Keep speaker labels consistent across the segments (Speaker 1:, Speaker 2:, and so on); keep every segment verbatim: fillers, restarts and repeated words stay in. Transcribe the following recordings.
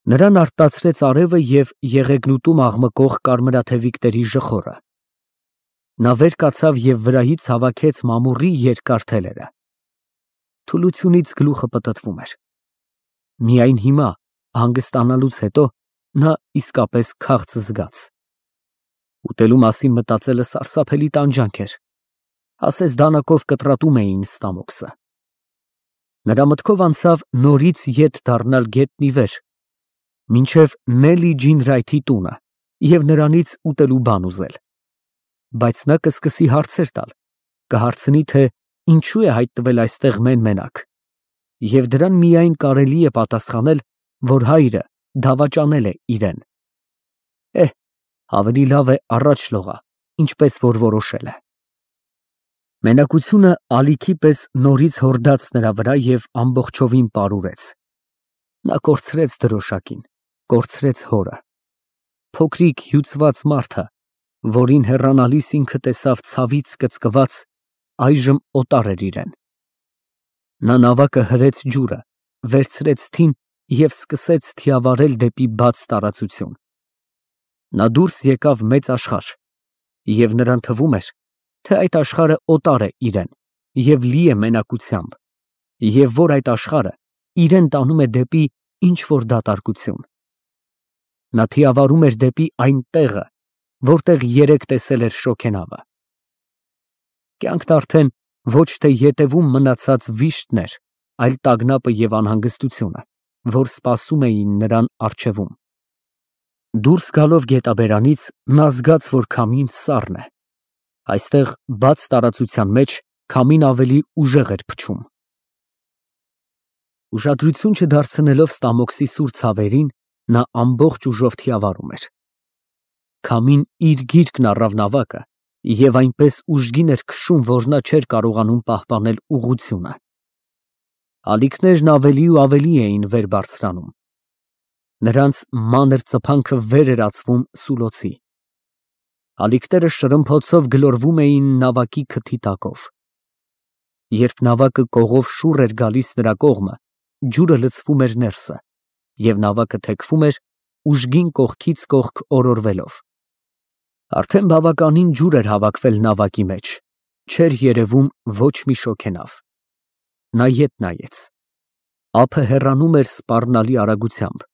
Speaker 1: Նրան արտացրեց արևը և եղեգնուտում աղմկող կարմրաթևիկների ժխորը։ Նա վեր կացավ և վրայից հավաքեց մամուռի երկար թելերը։ Թուլությունից գլուխը պտտվում էր։ Միայն հիմա, հանգստանալուց հետո, նա իսկապես քաղց զգաց։ Ուտելու մասին մտածելը սարսափելի տանջանք էր, ասես դանակով կտրատում էին ստամոքսը։ Նրա մտքով անցավ նորից ետ դառնալ գետնի վեր, մինչև Նելի Ջինրայթի տունը և նրանից ուտելու բան ուզել։ Բայց նա կսկսի հարցեր տալ, կհարցնի, թե ինչու է հայտնվել այստեղ մեն֊մենակ, և դրան միայն կարելի է պատասխանել, որ հայրը դավաճանել է իրեն։ Էհ, ավելի լավ է առաջ լողա, ինչպես որ որոշել է։ Մենակությունը ալիքի պես նորից հորդաց նրա վրա և ամբողջովին պարուրեց։ Նա կորցրեց դրոշակին, կորցրեց հորը։ Փոքրիկ հյուծված մարդը, որին հեռանալիս ինքը տեսավ ցավից կծկված, այժմ օտար էր իրեն։ Նա նավակը հրեց ջուրը, վերցրեց թին և սկսեց թիավարել դեպի բաց տարածություն։ Նա դուրս եկավ մեծ աշխարհ, և նրան թվում էր, թե այդ աշխարհը օտար է իրեն և լի է մենակությամբ, և որ այդ աշխարհը իրեն տանում է դեպի ինչ֊որ դատարկություն։ Նա թիավարում էր դեպի այն տեղը, որտեղ երեկ տեսել էր շոգենավը։ Կյանքն արդեն ոչ թե ետևում մնացած վիշտն էր, այլ տագնապը և անհանգստությունը, որ սպասում էին նրան առջևում։ Դուրս գալով գետաբերանից, նա զգաց, որ քամին սառն է։ Այստեղ, բաց տարածության մեջ, քամին ավելի ուժեղ էր փչում։ Ուշադրություն չդարձնելով ստամոքսի սուր ցավերին, նա ամբողջ ուժով թիավարում էր։ Քամին իր գիրկն առավ նավակը և այնպես ուժգին էր քշում, որ նա չէր կարողանում պահպանել ուղղությունը։ Ալիքներն ավելի ու ավելի էին վեր բարձրանում։ Նրանց մանր ծփանքը վեր էր ածվում սուլոցի։ Ալիքները շրմփոցով գլորվում էին նավակի քթի տակով։ Երբ նավակը կողով շուռ էր գալիս նրա կողմը, ջուրը լցվում էր ներսը, և նավակը թեքվում էր, ուժգին կողքից կողք օրորվելով։ Արդեն բավականին ջուր էր հավաքվել նավակի մեջ, չէր երևում ոչ մի շոգենավ։ Նա ետ նայեց։ Ափը հեռանում էր սպառնալի արագությամբ։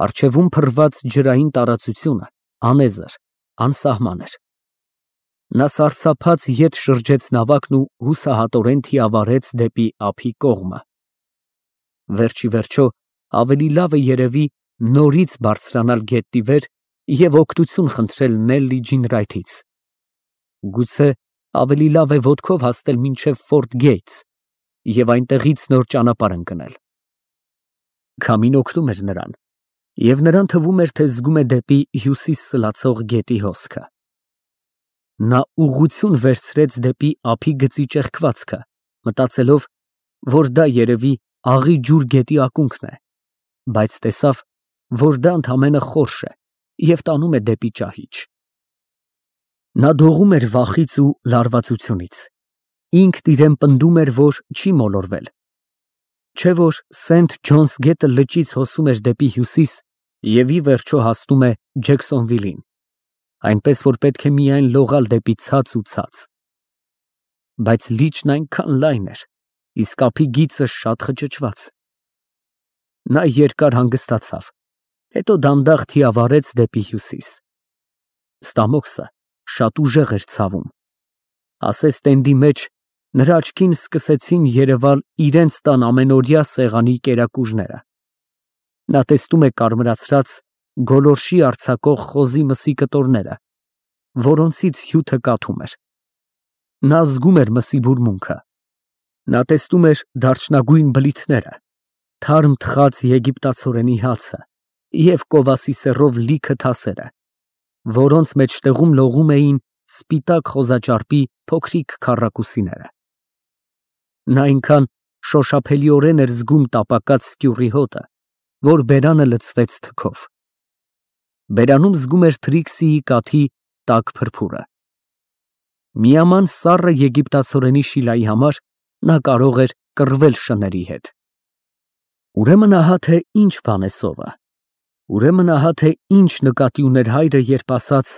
Speaker 1: Առջևում փռված ջրային տարածությունը անեզր, անսահման էր։ Նա սարսափած ետ շրջեց նավակն ու հուսահատորեն թիավարեց դեպի ափի կողմը։ Վերջ ի վերջո, ավելի լավ է երևի նորից բարձրանալ գետնի վեր և օգնություն խնդրել Նելլի Ջինրայթից։ Գուցե ավելի լավ է ոտքով հասնել մինչև Ֆորթ Գեյթս և այնտեղից նոր ճանապարհ ընկնել։ Քամին օգնում էր նրան, և նրան թվում էր, թե զգում է դեպի հյուսիս սլացող գետի հոսքը։ Նա ուղղություն վերցրեց դեպի ափի գծի ճեղքվածքը, մտածելով, որ դա երևի աղի ջուր գետի ակունքն է, բայց տեսավ, որ դա ընդամենը խորշ է և տանում է դեպի ճահիճ։ Նա դողում էր վախից ու լարվածությունից։ Ինքն իրան պնդում էր, որ չի մոլորվել։ Չէ՞ որ Սենթ Ջոնս գետը լճից հոսում էր դեպի հյուսիս և ի վերջո հասնում է Ջեքսոնվիլին, այնպես որ պետք է միայն լողալ դեպի ցած ու ցած։ Բայց լիճն այնքան լայն էր, իսկ ափի գիծը շատ խճճված։ Նա երկար հանգստացավ, հետո դանդաղ թիավարեց դեպի հյուսիս։ Ստամոքսը շատ ուժեղ էր ցավում։ Ասես տենդի մեջ նրա աչքին սկսեցին երևալ իրենց տան ամենօրյա սեղանի կերակուրները։ Նա տեսնում է կարմրացած, գոլորշի արձակող խոզի մսի կտորները, որոնցից հյութը կաթում էր։ Նա զգում էր մսի բուրմունքը։ Նա տեսնում էր դարչնագույն բլիթները, թարմ թխած եգիպտացորենի հացը և կովասի սեռով լիքը թասերը, որոնց մեջտեղում լողում էին սպիտակ խոզաճարպի փոքրիկ քառակուսիները։ Նա այնքան շոշափելիորեն էր զգում տապակած սկյուռի հոտը, որ բերանը լցվեց թքով։ Բերանում զգում էր Թրիքսիի կաթի տաք փրփուրը։ Միաման սառը եգիպտացորենի շիլայի համար նա կարող էր կռվել շների հետ։ Ուրեմն ահա թե ինչ բան է սովը։ Ուրեմն ահա թե ինչ նկատի ուներ հայրը, երբ ասաց.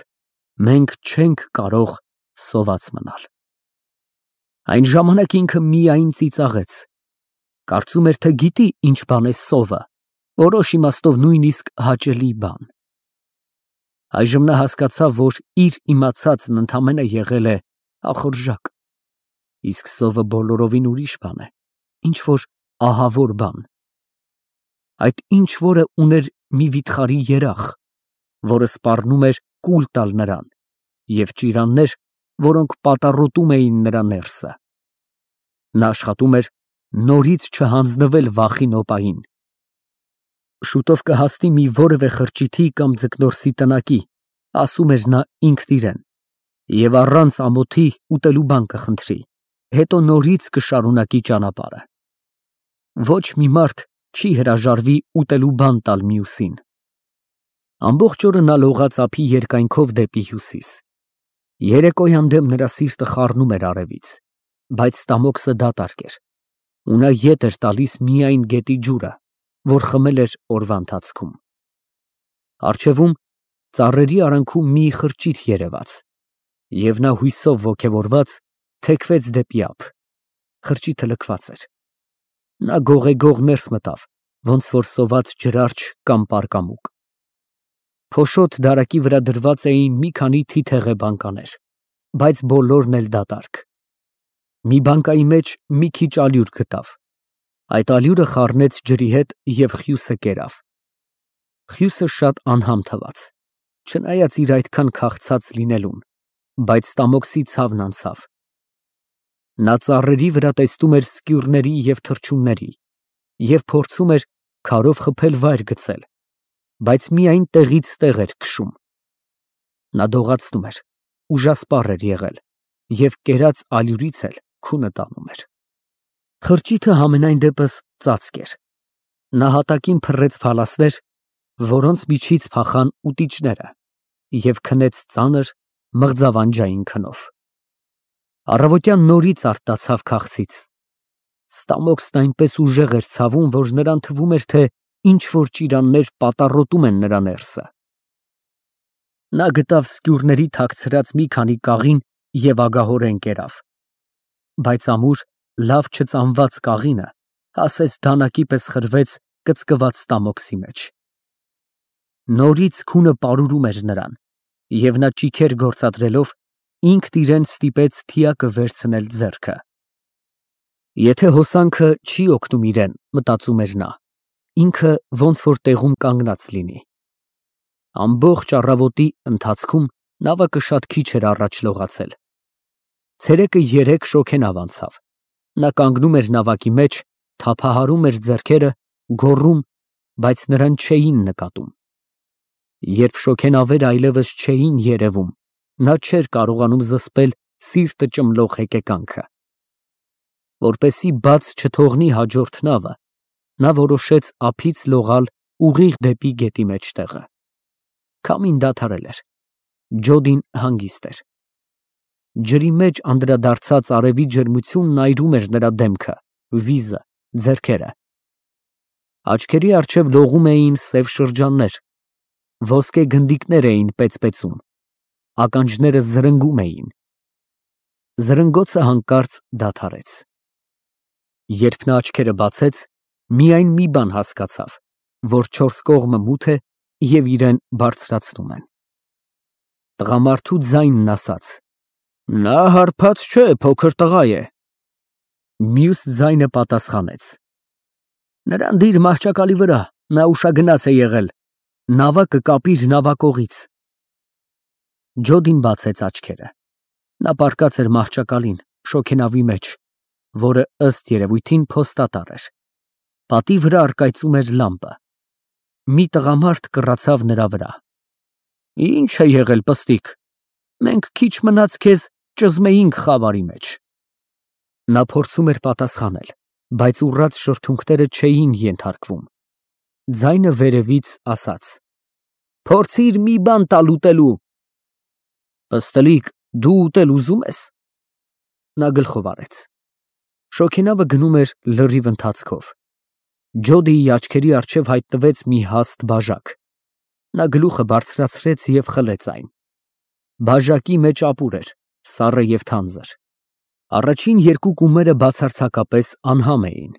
Speaker 1: «Մենք չենք կարող սոված մնալ»։ Այն ժամանակ ինքը միայն ծիծաղեց, կարծում էր, թե գիտի ինչ բան է սովը, որոշ իմաստով նույնիսկ հաճելի բան։ Այժմ նա հասկացավ, որ իր իմացածն ընդամենը եղել է ախորժակ, իսկ սովը բոլորովին ուրիշ բան է, ինչ-որ ահավոր բան։ Այդ ինչ-որը ուներ մի վիթխարի երախ, որը սպառնում էր կուլ տալ նրան, և ճիրաններ, որոնք պատառոտում էին նրա ներսը։ Նա աշխատում էր նորից չհանձնվել վախի նոպային։ Շուտով կհասնի մի որևէ խրճիթի կամ ձկնորսի տնակի, ասում էր նա ինքն իրեն, և առանց ամոթի ուտելու բան կխնդրի, հետո նորից կշարունակի ճանապարհը։ Ոչ մի մարդ չի հրաժարվի ուտելու բան տալ մյուսին։ Ամբողջ օրը նա լողաց ափի երկայնքով դեպի հյուսիս։ Երեկոյան դեմ նրա սիրտը խառնում էր արևից, բայց ստամոքսը դատարկ էր, ու նա ետ էր տալիս միայն գետի ջուրը, որ խմել էր օրվա ընթացքում։ Առջևում ծառերի արանքում մի խրճիթ երևաց, և նա հույսով ոգևորված թեքվեց դեպի ափ։ Խրճիթը լքված էր։ Նա գողեգող ներս մտավ, ոնց որ սոված ջրարջ կամ պարկամուկ։ Փոշոտ դարակի վրա դրված էին մի քանի թիթեղե բանկաներ, բայց բոլորն էլ դատարկ։ Մի բանկայի մեջ մի քիչ ալյուր գտավ, այդ ալյուրը խառնեց ջրի հետ և խյուսը կերավ։ Խյուսը շատ անհամ թվաց, չնայած իր այդքան քաղցած լինելուն, բայց ստամոքսի ցավն անցավ։ Նա ծառերի վրա տեսնում էր սկյուռների և թռչունների և փորձում էր քարով խփել վայր գցել, բայց միայն տեղից տեղ էր քշում։ Նա դողացնում էր, ուժասպառ էր եղել և կերած ալյուրից էլ քունը տանում էր։ Խրճիթը համենայն դեպս ծածկ էր։ Նա հատակին փռեց փալասներ, որոնց միջից փախան ուտիչները, և քնեց ծանր, մղձավանջային քնով։ Առավոտյան նորից արթնացավ քաղցից։ Ստամոքսն այնպես ուժեղ էր ցավում, որ նրան թվում էր, թե ինչ֊որ ճիրաններ պատառոտում են նրա ներսը։ Նա գտավ սկյուռների թաքցրած մի քանի կաղին և ագահորեն կերավ, բայց ամուր, լավ չծամված կաղինը ասես դանակի պես խրվեց կծկված ստամոքսի մեջ։ Նորից քունը պարուրում էր նրան, և նա ճիգեր գործադրելով ինքն իրեն ստիպեց թիակը վերցնել ձեռքը։ Եթե հոսանքը չի օգնում իրեն, մտածում էր նա, ինքը ոնց որ տեղում կանգնած լինի։ Ամբողջ առավոտի ընթացքում նավակը շատ քիչ էր առաջ լողացել։ Ցերեկը երեք շոգենավ անցավ։ Նա կանգնում էր նավակի մեջ, թափահարում էր ձեռքերը, գոռում, բայց նրան չէին նկատում։ Երբ շոգենավերը այլևս չէին երևում, նա չէր կարողանում զսպել սիրտը ճմլող հեկեկանքը։ Որպեսզի բաց չթողնի հաջորդ նավը, նա որոշեց ափից լողալ ուղիղ դեպի գետի մեջտեղը։ Քամին դադարել էր։ Ջոդին հանգիստ էր։ Ջրի մեջ անդրադարձած արևի ջերմությունն այրում էր նրա դեմքը, վիզը, ձեռքերը։ Աչքերի առջև լողում էին սև շրջաններ, ոսկե գնդիկներ էին պեծպեցում, ականջները զրնգում էին։ Զրնգոցը հանկարծ դադարեց։ Երբ նա աչքերը բացեց, միայն մի բան հասկացավ, որ չորս կողմը մութ է և իրեն բարձրացնում են։ Տղամարդու ձայնն ասաց. «Նա հարբած չէ, փոքր տղա է»։ Մյուս ձայնը պատասխանեց. «Նրան դիր մահճակալի վրա, նա ուշագնաց է եղել, նավակը կապիր նավակողից»։ Ջոդին բացեց աչքերը։ Նա պառկած էր մահճակալին, շոգենավի մեջ, որը ըստ երևույթին փոստատար էր։ Պատի վրա առկայծում էր լամպը։ Մի տղամարդ կռացավ նրա վրա։ «Ի՞նչ է եղել, պստիկ, մենք քիչ մնաց քեզ ճզմեինք խավարի մեջ»։ Նա փորձում էր պատասխանել, բայց ուռած շրթունքները չէին ենթարկվում։ Ձայնը վերևից ասաց. «Փորձիր մի բան տալ ուտելու»։ «Պստլիկ, դու ուտել ուզում ես»։ Նա գլխով արեց։ Շոգենավը գնում էր լրիվ ընթացքով։ Ջոդիի աչքերի առջև հայտնվեց մի հաստ բաժակ, Նա գլուխը բարձրացրեց և խլեց այն։ Բաժակի մեջ ապուր էր, սառը և թանձր։ Առաջին երկու կումերը բացարձակապես անհամ էին։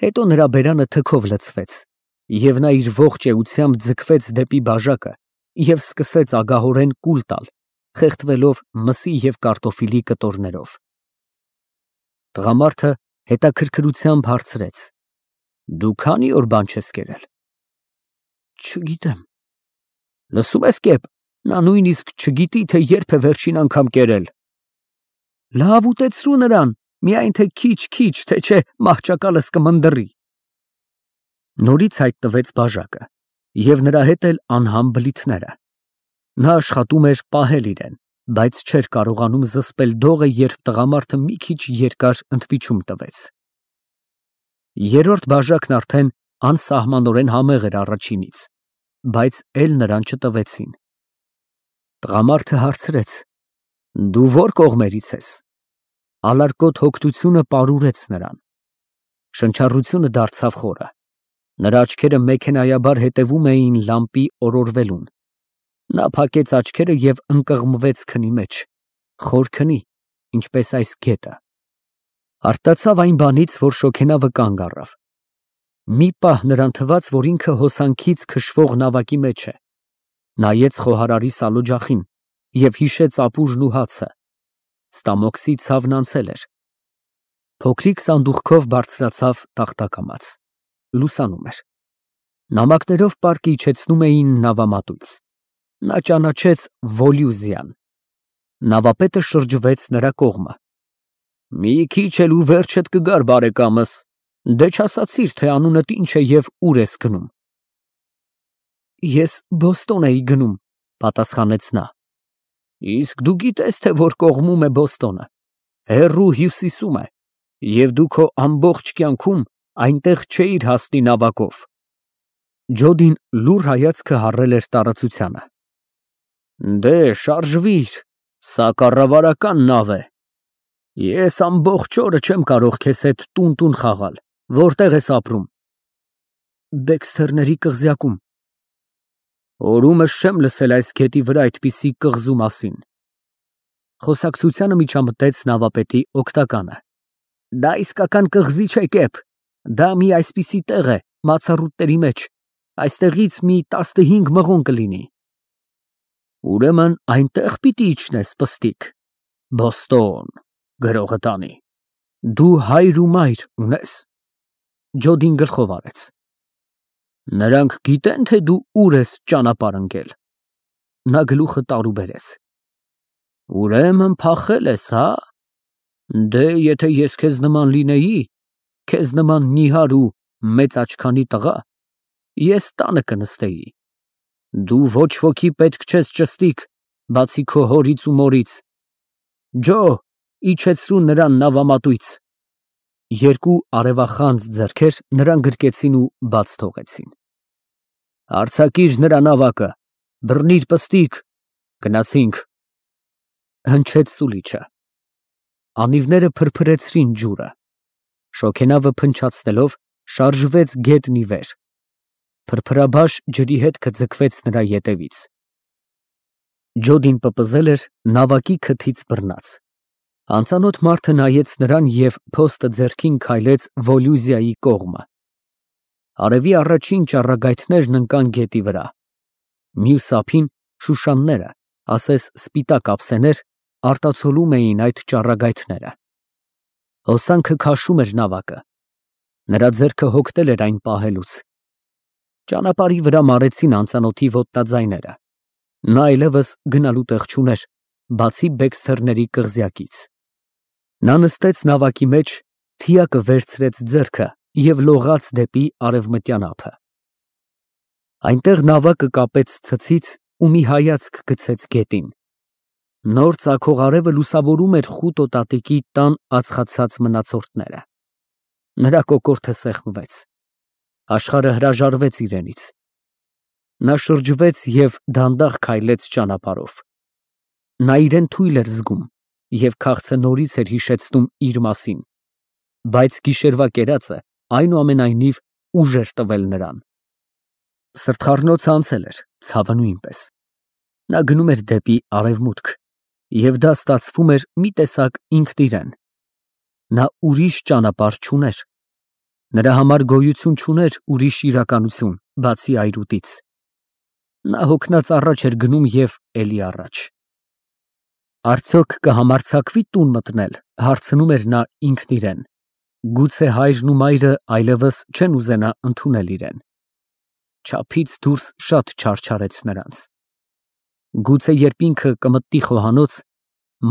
Speaker 1: Հետո նրա բերանը թքով լցվեց, և նա իր ողջ էությամբ ձգվեց դեպի բաժակը և սկսեց ագահորեն կուլ տալ, խեղդվելով մսի և կարտոֆիլի կտորներով։ Տղամարդը հետաքրքրությամբ հարցրեց. Դու քանի՞ օր բան չես կերել։ Չգիտեմ։ Լսում ես, կեպ, նա նույնիսկ չգիտի, թե երբ է վերջին անգամ կերել։ Լավ ուտեցրու նրան, միայն թե քիչ֊քիչ, թե չէ մահճակալս կմնդռի։ Նորից հայտնվեց բաժակը, և նրա հետ էլ անհամ բլիթները։ Նա աշխատում էր պահել իրեն, բայց չէր կարողանում զսպել դողը, երբ տղամարդը մի քիչ երկար ընդմիջում տվեց։ Երրորդ բաժակն արդեն անսահմանորեն համեղ էր առաջինից, բայց էլ նրան չտվեցին։ Տղամարդը հարցրեց. Դու ո՞ր կողմերից ես։ Ալարկոտ հոգնությունը պարուրեց նրան։ Շնչառությունը դարձավ խորը։ Նրա աչքերը մեքենայաբար հետևում էին լամպի օրորվելուն։ Նա փակեց աչքերը և ընկղմվեց քնի մեջ, խոր քնի, ինչպես այս գետը։ Արտացավ այն բանից, որ շոգենավը կանգ առավ։ Մի պահ նրան թվաց, որ ինքը հոսանքից քշվող նավակի մեջ է։ Նայեց խոհարարի սալօջախին և հիշեց ապուրն ու հացը։ Ստամոքսի ցավն անցել էր։ Փոքրիկ սանդուղքով բարձրացավ տախտակամաց։ Լուսանում էր։ Նամակներով պարկը իջեցնում էին նավամատույց։ Նա ճանաչեց Վոլյուզիան։ Նավապետը շրջվեց նրա կողմը։ Մի քիչ էլ ու վերջդ կգար, բարեկամս, դե չասացիր, թե անունդ ինչ է և ուր ես գնում։ Ես Բոստոն էի գնում, պատասխանեց նա։ Իսկ դու գիտես, թե որ կողմում է Բոստոնը։ Հեռու հյուսիսում է, և դու քո ամբողջ կյանքում այնտեղ չէիր հասնի նավակով։ Ջոդին լուռ հայացքը հառել էր տարածությանը։ Դե, շարժվիր, սա կառավարական նավ է։ Ես ամբողջ օրը չեմ կարող քեզ հետ տուն֊տուն խաղալ, որտե՞ղ ես ապրում։ Բեքսթերների կղզյակում։ Օրումս չեմ լսել այս գետի վրա այդպիսի կղզու մասին։ Խոսակցությանը միջամտեց նավապետի օգտականը։ Դա իսկական կղզի չէ, կեպ, դա մի այսպիսի տեղ է, մացառուտների մեջ, այստեղից մի տասնհինգ մղոն կլինի։ Ուրեմն այնտեղ պիտի իջնես, պստիկ։ Բոստոն, գրողը տանի։ Դու հայր ու մայր ունես։ Ջոդին գլխով արեց։ Նրանք գիտեն, թե դու ուր ես ճանապարհ ընկել։ Նա գլուխը տարուբերեց։ Ուրեմն փախել ես, հա։ Դե, եթե ես քեզ նման լինեի, քեզ նման նիհար ու մեծ աչքանի տղա, ես տանը կնստեի։ Դու ոչ ոքի պետք չես, ճստիկ, բացի քո հորից ու մորից։ Ջո, իջեցրու նրան նավամատույց։ Երկու արևախանձ ձեռքեր նրան գրկեցին ու բաց թողեցին։ Արձակիր նրա նավակը, բռնիր, պստիկ, գնացինք։ Հնչեց սուլիչը։ Անիվները փրփրեցրին ջուրը։ Շոգենավը փնչացնելով շարժվեց գետնի վեր։ Փրփրաբաշ ջրի հետքը ձգվեց նրա ետևից։ Ջոդին պպզել էր նավակի քթից բռնած։ Անծանոթ մարդը նայեց նրան և փոստը ձեռքին քայլեց Վոլյուզիայի կողմը։ Արևի առաջին ճառագայթներն ընկան գետի վրա։ Մյուս ափին շուշանները, ասես սպիտակ ափսեներ, արտացոլում էին այդ ճառագայթները։ Հոսանքը քաշում էր նավակը։ Նրա ձեռքը հոգնել էր այն պահելուց։ Ճանապարհի վրա մարեցին անծանոթի ոտնաձայները։ Նա այլևս գնալու տեղ չուներ, բացի Բեքսթերների կղզյակից։ Նա նստեց նավակի մեջ, թիակը վերցրեց ձեռքը և լողաց դեպի արևմտյան ափը։ Այնտեղ նավակը կապեց ցցից ու մի հայացք գցեց գետին։ Նոր ծագող արևը լուսավորում էր խուտոտատիկի տան ածխացած մնացորդները։ Նրա կոկորդը սեղմվեց։ Աշխարհը հրաժարվեց իրենից։ Նա շրջվեց և դանդաղ քայլեց ճանապարհով։ Նա իրեն թույլ էր զգում և քաղցը նորից էր հիշեցնում իր մասին, բայց գիշերվա կերածը այնուամենայնիվ ուժ էր տվել նրան։ Սրտխառնոցը անցել էր, ցավը նույնպես։ Նա գնում էր դեպի արևմուտք, և դա ստացվում էր մի տեսակ ինքն իրեն։ Նա ուրիշ ճանապարհ չուներ։ Նրա համար գոյություն չուներ ուրիշ իրականություն, բացի այրուտից։ Նա հոգնած առաջ էր գնում և էլի առաջ։ Արդյոք կհամարձակվի տուն մտնել, հարցնում էր նա ինքն իրեն։ Գուցե հայրն ու մայրը այլևս չեն ուզենա ընդունել իրեն։ Չափից դուրս շատ չարչարեց նրանց։ Գուցե երբ ինքը կմտնի խոհանոց,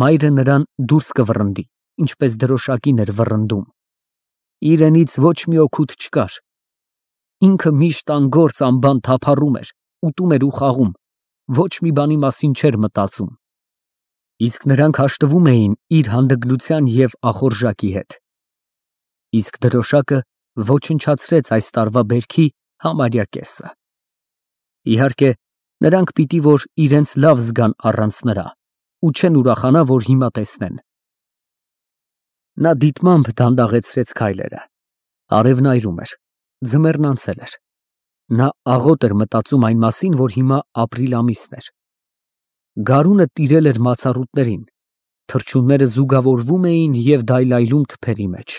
Speaker 1: մայրը նրան դուրս կվռնդի, ինչպես դրոշակին էր վռնդում։ Իրենից ոչ մի օգուտ չկար։ Ինքը միշտ անգործ անբան թափառում էր, ուտում էր ու խաղում, ոչ մի բանի մասին չէր մտածում։ Իսկ նրանք հաշտվում էին իր հանդգնության և ախորժակի հետ։ Իսկ դրոշակը ոչնչացրեց այս տարվա բերքի համարյա կեսը։ Իհարկե, նրանք պիտի որ իրենց լավ զգան առանց նրա ու չեն ուրախանա, որ հիմա տեսնեն։ Նա դիտմամբ դանդաղեցրեց քայլերը։ Արևն այրում էր, ձմեռն անցել էր։ Նա աղոտ էր մտածում այն մասին, որ հիմա ապրիլ ամիսն էր։ Գարունը տիրել էր մացառուտներին, թռչունները զուգավորվում էին և դայլայլում թփերի մեջ։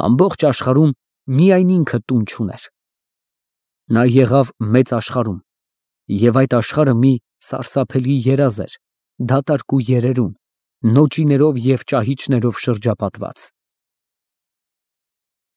Speaker 1: Ամբողջ աշխարհում միայն ինքը տուն չուներ։ Նա եղավ մեծ աշխարհում, և այդ աշխարհը մի սարսափելի երազ էր, դատարկ ու երերուն, նոճիներով և ճահիճներով շրջապատված։